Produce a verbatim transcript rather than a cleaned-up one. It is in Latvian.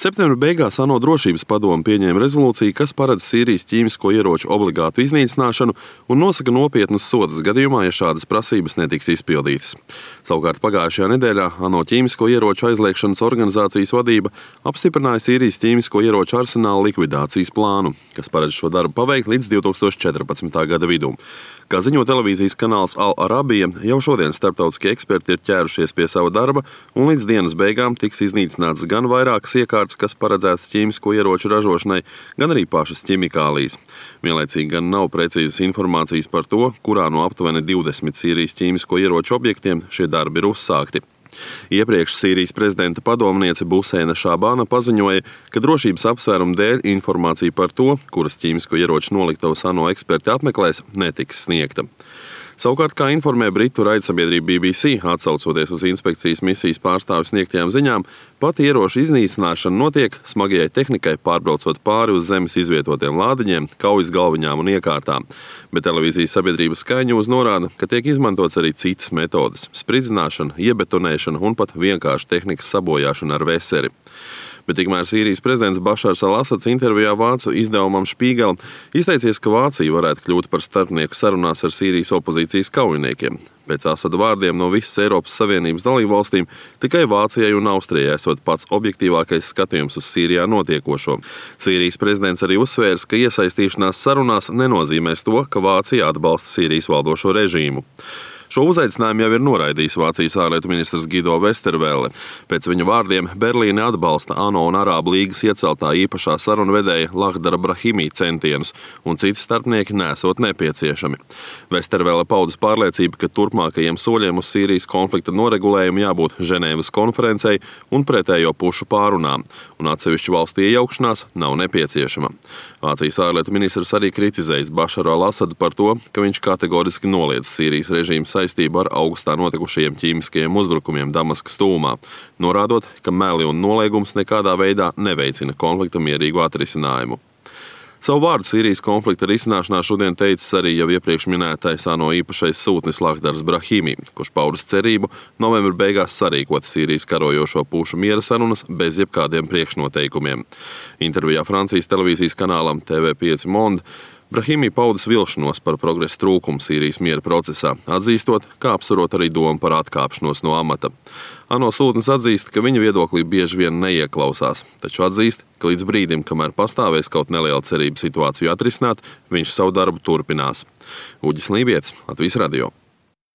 Septembra beigās ANO drošības padome pieņēma rezolūciju, kas paredz Sīrijas ķīmisko ieroču obligātu iznīcināšanu un nosaka nopietnus sodus gadījumā, ja šādas prasības netiks izpildītas. Savukārt pagājušajā nedēļā ANO ķīmisko ieroču aizliegšanas organizācijas vadība apstiprināja Sīrijas ķīmisko ieroču arsenāla likvidācijas plānu, kas paredz šo darbu paveikt līdz divi tūkstoši četrpadsmitā gada vidū. Kā ziņo televīzijas kanāls Al Arabija, jau šodien starptautiskie eksperti ir ķērušies pie sava darba, un līdz dienas beigām tiks iznīcināts gan vairākas iekārtas, kas paredzētas ķīmisko ieroču ražošanai, gan arī pašas ķimikālijas. Vienlaicīgi gan nav precīzas informācijas par to, kurā no aptuveni divdesmit Sīrijas ķīmisko ieroču objektiem šie darbi ir uzsākti. Iepriekš Sīrijas prezidenta padomniece Buseina Šābāna paziņoja, ka drošības apsvērumu dēļ informācija par to, kuras ķīmisko ieroču noliktavas ANO eksperti apmeklēs, netiks sniegta. Savukārt, kā informē britu raidsabiedrība B B C, atsaucoties uz inspekcijas misijas pārstāvju sniegtajām ziņām, pat ieroču iznīcināšana notiek smagajai tehnikai pārbraucot pāri uz zemes izvietotiem lādiņiem, kaujas galviņām un iekārtām. Bet televīzijas sabiedrība Sky News norāda, ka tiek izmantots arī citas metodes – spridzināšana, iebetonēšana un pat vienkārši tehnikas sabojāšana ar veseri. Bet tikmēr Sīrijas prezidents Bašars al-Asads intervijā vācu izdevumam Spiegel izteicies, ka Vācija varētu kļūt par starpnieku sarunās ar Sīrijas opozīcijas kaujiniekiem. Pēc Asada vārdiem no visas Eiropas Savienības dalībvalstīm tikai Vācijai un Austrijai esot pats objektīvākais skatījums uz Sīrijā notiekošo. Sīrijas prezidents arī uzsvērs, ka iesaistīšanās sarunās nenozīmēs to, ka Vācija atbalsta Sīrijas valdošo režīmu. Šo uzaicinājumu jau ir noraidījis Vācijas ārlietu ministrs Gido Vestervelle. Pēc viņa vārdiem Berlīne atbalsta ANO un Arābu līgas ieceltā īpašā sarunvedēja Lahdara Brahimī centienus, un citi starpnieki nesot nepieciešami. Vestervelle paudis pārliecību, ka turpmākajiem soļiem uz Sīrijas konflikta noregulējumu jābūt Ženēvas konferencei un pretējo pušu pārunām, un atsevišķu valstu iejaukšanās nav nepieciešama. Vācijas ārlietu ministrs arī kritizējis Bašaru al-Asadu par to, ka viņš kategoriski noliedz Sīrijas režīmu saistību ar augustā notikušajiem ķīmiskajiem uzbrukumiem Damaskas tuvumā, norādot, ka meli un noliegums nekādā veidā neveicina konflikta mierīgu atrisinājumu. Savu vārdu Sīrijas konflikta risināšanā šodien teicis arī jau iepriekš minētais ANO īpašais sūtnis Lahdars Brahimī, kurš paudis cerību novembra beigās sarīkot Sīrijas karojošo pušu miera sarunas bez jebkādiem priekšnoteikumiem. Intervijā Francijas televīzijas kanālam T V pieci Monde Brahimī paudis vilšanos par progresa trūkumu Sīrijas miera procesā, atzīstot, kā apsverot arī domu par atkāpšanos no amata. ANO sūtnis atzīst, ka viņa viedoklī bieži vien neieklausās, taču atzīst, ka līdz brīdim, kamēr pastāvēs kaut neliela cerība situāciju atrisināt, viņš savu darbu turpinās. Uģis Lībietis, Latvijas radio.